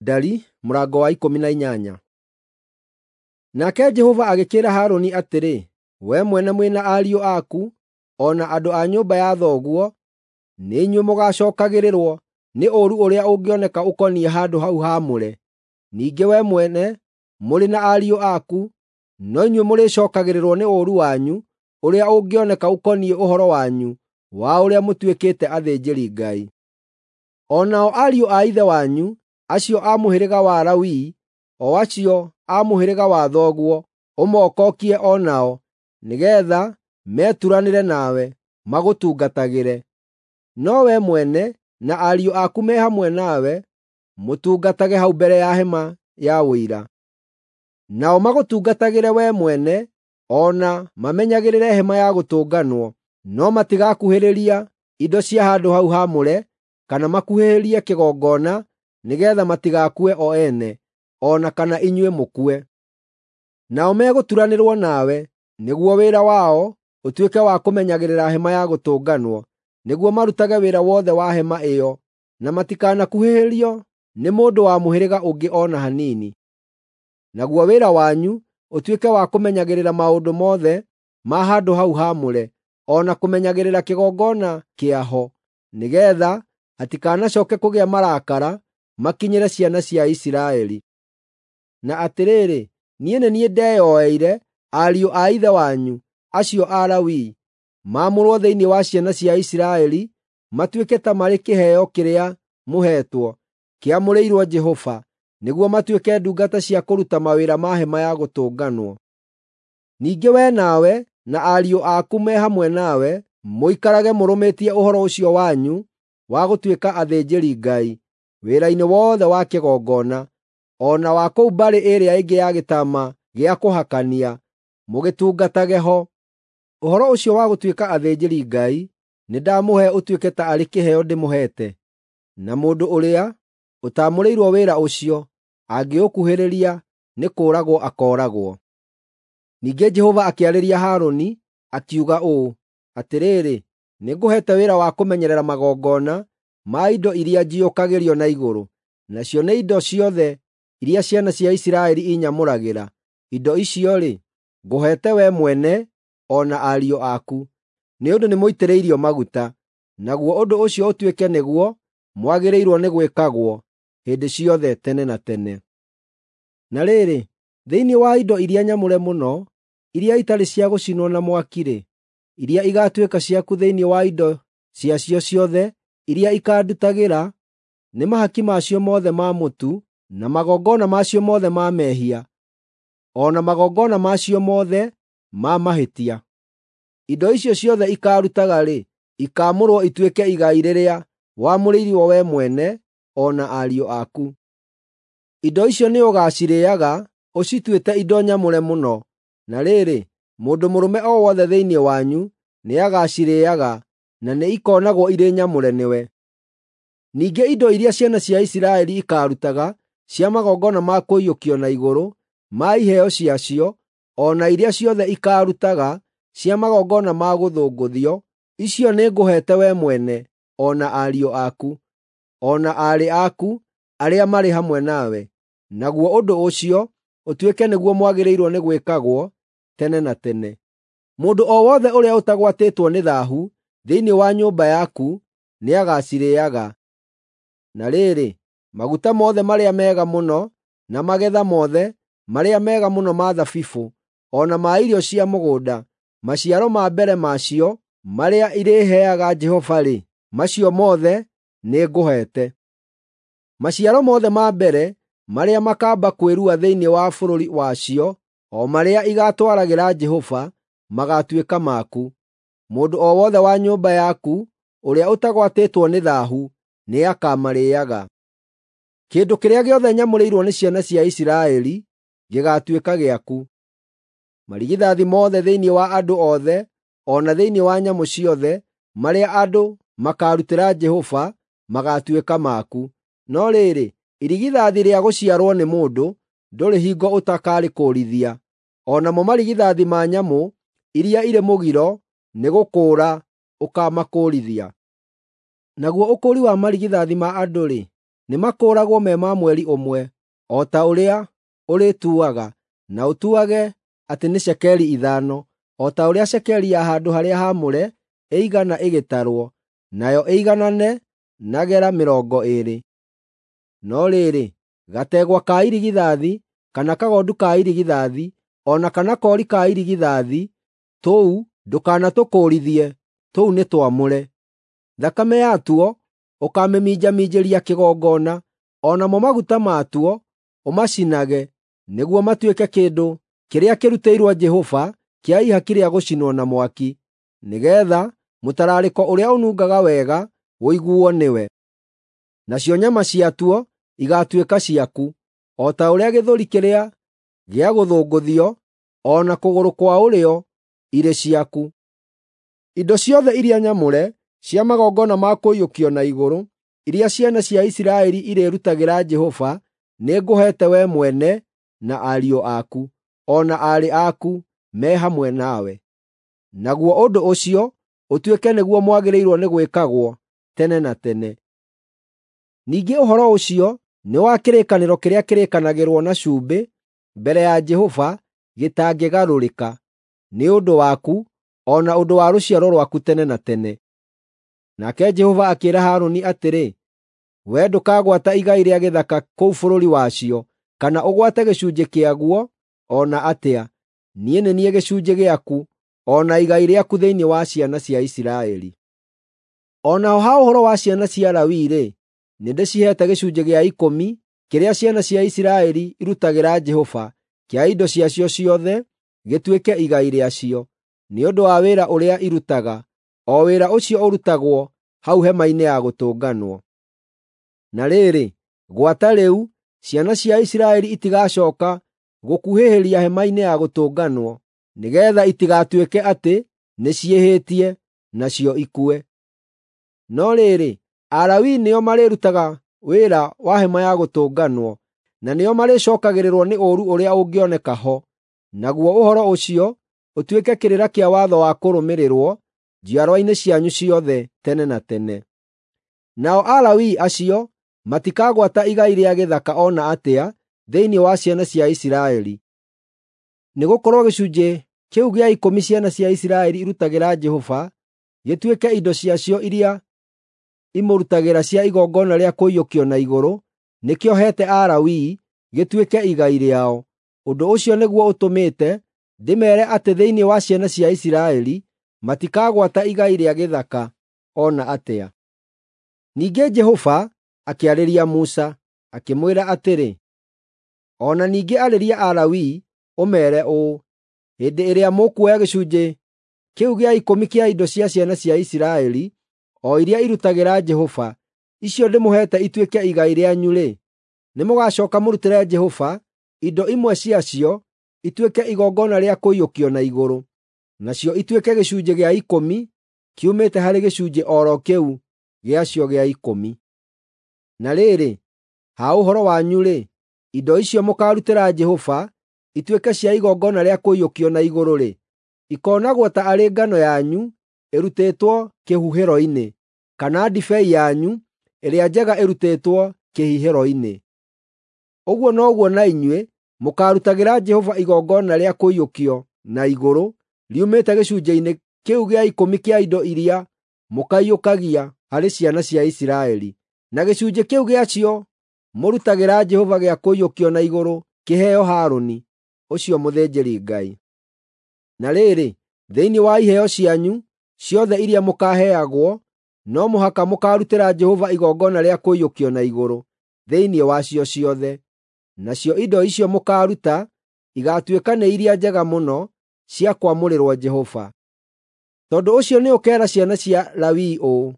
Ndari mũrango wa 18. Nake Jehova agĩkĩĩra Harũni atĩrĩ, “Wee mwene mwĩ na ariũ aku, o na andũ a nyũmba ya thoguo, nĩ inyuĩ mũgaacookagĩrĩrwo nĩ ũũru ũrĩa ũngĩoneka ũkoniĩ handũ hau haamũre. Ningĩ wee mwene mũrĩ na ariũ aku, no inyuĩ mũrĩcookagĩrĩrwo nĩ ũũru wanyu ũrĩa ũngĩoneka ũkoniĩ ũhoro wanyu wa ũrĩa mũtuĩkĩte athĩnjĩri-Ngai. O nao ariũ a ithe wanyu, acio a mũhĩrĩga wa Lawi, o acio a mũhĩrĩga wa thoguo, ũmokokie o nao, nĩgeetha meturanĩre nawe, magũtungatagĩre. No wee mwene na ariũ aku me hamwe nawe mũtungatage hau mbere ya hema ya Ũira. Nao magũtungatagĩre wee mwene o na mamenyagĩrĩre hema ya gũtũnganwo, no matigakuhĩrĩria indo cia handũ hau haamũre kana makuhĩrĩrie kĩgongona nĩgeetha matigakue o ene, o na kana inyuĩ mũkue. Nao megũturanĩrwo nawe, nĩguo wĩra wao ũtuĩke wa kũmenyagĩrĩra hema ya gũtũnganwo, nĩguo marutage wĩra wothe wa hema ĩyo, na matikanakuhĩrĩrio nĩ mũndũ wa mũhĩrĩga ũngĩ o na hanini. Naguo wĩra wanyu ũtuĩke wa kũmenyagĩrĩra maũndũ mothe ma handũ hau haamũre, o na kũmenyagĩrĩra kĩgongona kĩaho, nĩgeetha hatikanacooke kũgĩa marakara makinyĩre ciana cia Isiraeli. Na atĩrĩrĩ, niĩ nĩ niĩ ndeyoeire ariũ a ithe wanyu, acio a Lawi, maamũrwo thĩinĩ wa ciana cia Isiraeli matuĩke ta marĩ kĩheo kĩrĩa mũheetwo, kĩamũrĩirwo Jehova, nĩguo matuĩke ndungata cia kũruta mawĩra ma hema ya gũtũnganwo. Ningĩ wee nawe na ariũ aku me hamwe nawe mũikarage mũrũmĩtie ũhoro ũcio wanyu wa gũtuĩka athĩnjĩri-Ngai wĩra-inĩ wothe wa kĩgongona, o na wa kũu mbarĩ ĩrĩa ĩngĩ ya gĩtama gĩa kũhakania, mũgĩtungatage ho. Ũhoro ũcio wa gũtuĩka athĩnjĩri-Ngai nĩndamũhe ũtuĩke ta arĩ kĩheo ndĩmũheete, na mũndũ ũrĩa ũtaamũrĩirwo wĩra ũcio angĩũkuhĩrĩria nĩ kũũragwo akooragwo.” Ningĩ Jehova akĩarĩria Harũni, akiuga ũũ, “Atĩrĩrĩ, nĩngũheete wĩra wa kũmenyerera magongona ma indo iria njiũkagĩrio na igũrũ, nacio nĩ indo ciothe iria ciana cia Isiraeli inyamũragĩra. Indo icio-rĩ, ngũheete wee mwene o na ariũ aku, nĩ ũndũ nĩmũitĩrĩirio maguta, naguo ũndũ ũcio ũtuĩke nĩguo mwagĩrĩirwo nĩ gwĩkagwo hĩndĩ ciothe tene na tene. Na rĩrĩ, thĩinĩ wa indo iria nyamũre mũno, iria itarĩ cia gũcinwo na mwaki-rĩ, iria igaatuĩka ciaku thĩinĩ wa indo ciacio ciothe iria ikaandutagĩra, nĩ mahaki macio mothe ma mũtu, na magongona macio mothe ma mehia, o na magongona macio mothe ma mahĩtia. Indo icio ciothe ikaarutaga-rĩ, ikaamũrwo ituĩke igai rĩrĩa wamũrĩirwo wee mwene o na ariũ aku. Indo icio nĩũgacirĩĩaga ũcituĩte indo nyamũre mũno. Na rĩrĩ, mũndũ mũrũme o wothe thĩinĩ wanyu nĩagacirĩĩaga, na nĩikoonagwo irĩ nyamũre nĩwe. Ningĩ indo iria ciana cia Isiraeli ikaarutaga cia magongona ma kũiyũkio na igũrũ, ma iheo ciacio, o na iria ciothe ikaarutaga cia magongona ma gũthũngũthio, icio nĩngũheete wee mwene o na ariũ aku, o na aarĩ aku arĩa marĩ hamwe nawe. Naguo ũndũ ũcio ũtuĩke nĩguo mwagĩrĩirwo nĩ gwĩkagwo tene na tene. Mũndũ o wothe ũrĩa ũtagwatĩtwo nĩ thaahu thĩinĩ wa nyũmba yaku nĩagacirĩĩaga. Na rĩrĩ, maguta mothe marĩa mega mũno, na magetha mothe marĩa mega mũno ma thabibũ, o na ma irio cia mũgũnda, maciaro ma mbere macio marĩa irĩheaga Jehova-rĩ, macio mothe nĩngũheete. Maciaro mothe ma mbere marĩa makaamba kwĩrua thĩinĩ wa bũrũri wacio, o marĩa igaatwaragĩra Jehova, magaatuĩka maku. Mũndũ o wothe wa nyũmba yaku ũrĩa ũtagwatĩtwo nĩ thaahu nĩakamarĩĩaga. Kĩndũ kĩrĩa gĩothe nyamũrĩirwo nĩ ciana cia Isiraeli gĩgaatuĩka gĩaku. Marigithathi mothe thĩinĩ wa andũ othe o na thĩinĩ wa nyamũ ciothe marĩa andũ makaarutĩra Jehova magaatuĩka maku. No rĩrĩ, irigithathi rĩa gũciarwo nĩ mũndũ ndũrĩ hingo ũtakarĩkũũrithia, o namo marigithathi ma nyamũ iria irĩ mũgiro nĩgũkũũra ũkaamakũũrithia. Naguo ũkũũri wa marigithathi ma andũ-rĩ, nĩ nĩmakũũragwo me ma mweri ũmwe, o ta ũrĩa ũrĩtuaga, na ũtuage atĩ nĩ cekeri 5, o ta ũrĩa cekeri ya handũ-harĩa-haamũre ĩigana ĩgĩtarwo, nayo ĩiganane na gera 20. No rĩrĩ, gategwa ka irigithathi, kana kagondu ka irigithathi, o na kana koori ka irigithathi, tũu ndũkanatũkũũrithie, tũu nĩ twamũre. Thakame yatuo ũkamĩminjaminjĩria kĩgongona, o namo maguta matuo ũmacinage, nĩguo matuĩke kĩndũ kĩrĩa kĩrutĩirwo Jehova kĩa ihaki rĩa gũcinwo na mwaki, nĩgeetha mũtararĩko ũrĩa ũnungaga wega ũiguo nĩwe. Nacio nyama ciatuo igaatuĩka ciaku, o ta ũrĩa gĩthũri kĩrĩa gĩa gũthũngũthio o na kũgũrũ kwa ũrĩo irĩ ciaku. Indo ciothe iria nyamũre cia magongona ma kũiyũkio na igũrũ, iria ciana cia Isiraeli irĩrutagĩra Jehova, nĩngũheete wee mwene na ariũ aku, o na aarĩ aku me hamwe nawe. Naguo ũndũ ũcio ũtuĩke nĩguo mwagĩrĩirwo nĩ gwĩkagwo tene na tene. Ningĩ ũhoro ũcio nĩ wa kĩrĩkanĩro kĩrĩa kĩrĩkanagĩrwo na cumbĩ mbere ya Jehova gĩtangĩgarũrĩka, nĩ ũndũ waku o na ũndũ wa rũciaro rwaku tene na tene. Nake Jehova akĩĩra Harũni atĩrĩ, “Wee ndũkagwata igai rĩa gĩthaka kũu bũrũri wacio, kana ũgwate gĩcunjĩ kĩaguo o na atĩa. Niĩ nĩ niĩ gĩcunjĩ gĩaku o na igai rĩaku thĩinĩ wa ciana cia Isiraeli. O naho ha ũhoro wa ciana cia Lawi-rĩ, nĩndĩciheete gĩcunjĩ gĩa ikũmi kĩrĩa ciana cia Isiraeli irutagĩra Jehova kĩa indo ciacio ciothe gĩtuĩke igai rĩacio, nĩ ũndũ wa wĩra ũrĩa irutaga, o wĩra ũcio ũrutagwo hau Hema-inĩ ya Gũtũnganwo. Na rĩrĩ, gwata rĩu, ciana cia Isiraeli itigacooka gũkuhĩhĩria Hema-inĩ ya Gũtũnganwo, nĩgeetha itigatuĩke atĩ nĩciĩhĩtie, nacio ikue. No rĩrĩ, Alawii nĩo marĩrutaga wĩra wa Hema-ya-Gũtũnganwo, na nĩo marĩcookagĩrĩrwo nĩ ũũru ũrĩa ũngĩoneka ho, naguo ũhoro ũcio ũtuĩke kĩrĩra kĩa watho wa kũrũmĩrĩrwo njiarwa-inĩ cianyu ciothe tene na tene. Nao Alawii acio matikagwata igai rĩa gĩthaka o na atĩa thĩinĩ wa ciana cia Isiraeli, nĩgũkorwo gĩcunjĩ kĩu gĩa ikũmi ciana cia Isiraeli irutagĩra Jehova gĩtuĩke indo ciacio iria imũrutagĩra cia igongona rĩa kũiyũkio na igũrũ, nĩkĩo heete Alawii gĩtuĩke igai rĩao. Ũndũ ũcio nĩguo ũtũmĩte ndĩmeere atĩ thĩinĩ wa ciana cia Isiraeli matikagwata igai rĩa gĩthaka o na atĩa. Ningĩ Jehova akĩarĩria Musa, akĩmwĩra atĩrĩ, “O na ningĩ arĩria Alawii ũmeere ũũ: Hĩndĩ ĩrĩa mũkuoya gĩcunjĩ kĩu gĩa ikũmi kĩa indo cia ciana cia Isiraeli, o iria irutagĩra Jehova, icio ndĩmũheete ituĩke igai rĩanyu-rĩ, nĩmũgacooka mũrutĩre Jehova indo imwe ciacio ituĩke igongona rĩa kũiyũkio na igũrũ, nacio ituĩke gĩcunjĩ gĩa ikũmi kiumĩte harĩ gĩcunjĩ o ro kĩu gĩacio gĩa ikũmi. Na rĩrĩ, ha ũhoro wanyu-rĩ, indo icio mũkaarutĩra Jehova ituĩke cia igongona rĩa kũiyũkio na igũrũ-rĩ, ikoonagwo ta arĩ ngano yanyu ĩrutĩtwo kĩhuhĩro-inĩ, kana ndibei yanyu ĩrĩa njega ĩrutĩtwo kĩhihĩro-inĩ. Ũguo noguo na inyuĩ mũkaarutagĩra Jehova igongona rĩa kũiyũkio na igũrũ riumĩte gĩcunjĩ-inĩ kĩu gĩa ikũmi kĩa indo iria mũkaiyũkagia harĩ ciana cia Isiraeli. Na gĩcunjĩ kĩu gĩacio mũrutagĩra Jehova gĩa kũiyũkio na igũrũ kĩheo Harũni, ũcio mũthĩnjĩri-Ngai. Na rĩrĩ, thĩinĩ wa iheo cianyu ciothe iria mũkaaheagwo, no mũhaka mũkaarutĩra Jehova igongona rĩa kũiyũkio na igũrũ thĩinĩ wacio ciothe. Nacio indo icio mũkaaruta igaatuĩka nĩ iria njega mũno cia kwamũrĩrwo Jehova. Tondũ ũcio nĩũkeera ciana cia Lawi ũũ,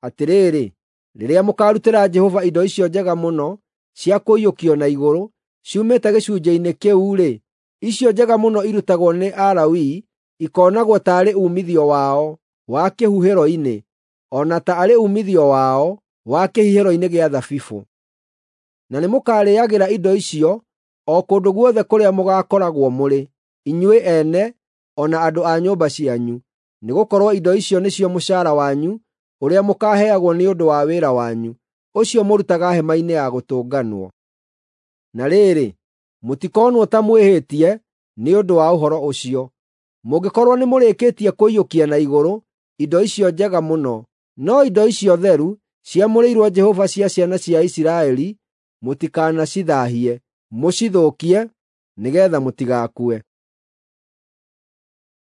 ‘Atĩrĩrĩ, rĩrĩa mũkaarutĩra Jehova indo icio njega mũno cia kũiyũkio na igũrũ ciumĩte gĩcunjĩ-inĩ kĩu-rĩ, icio njega mũno irutagwo nĩ Alawii ikoonagwo taarĩ uumithio wao wa kĩhuhĩro-inĩ, o na taarĩ uumithio wao wa kĩhihĩro-inĩ gĩa thabibũ. Na nĩmũkarĩĩagĩra indo icio o kũndũ guothe kũrĩa mũgaakoragwo mũrĩ, inyuĩ ene o na andũ a nyũmba cianyu, nĩgũkorwo indo icio nĩcio mũcaara wanyu ũrĩa mũkaaheagwo nĩ ũndũ wa wĩra wanyu, ũcio mũrutaga Hema-inĩ-ya-Gũtũnganwo. Na rĩrĩ, mũtikonwo ta mwĩhĩtie nĩ ũndũ wa ũhoro ũcio, mũngĩkorwo nĩmũrĩkĩtie kũiyũkia na igũrũ indo icio njega mũno. No indo icio theru ciamũrĩirwo Jehova cia ciana cia Isiraeli mũtikanacithaahie, mũcithũkie, nĩgeetha mũtigakue.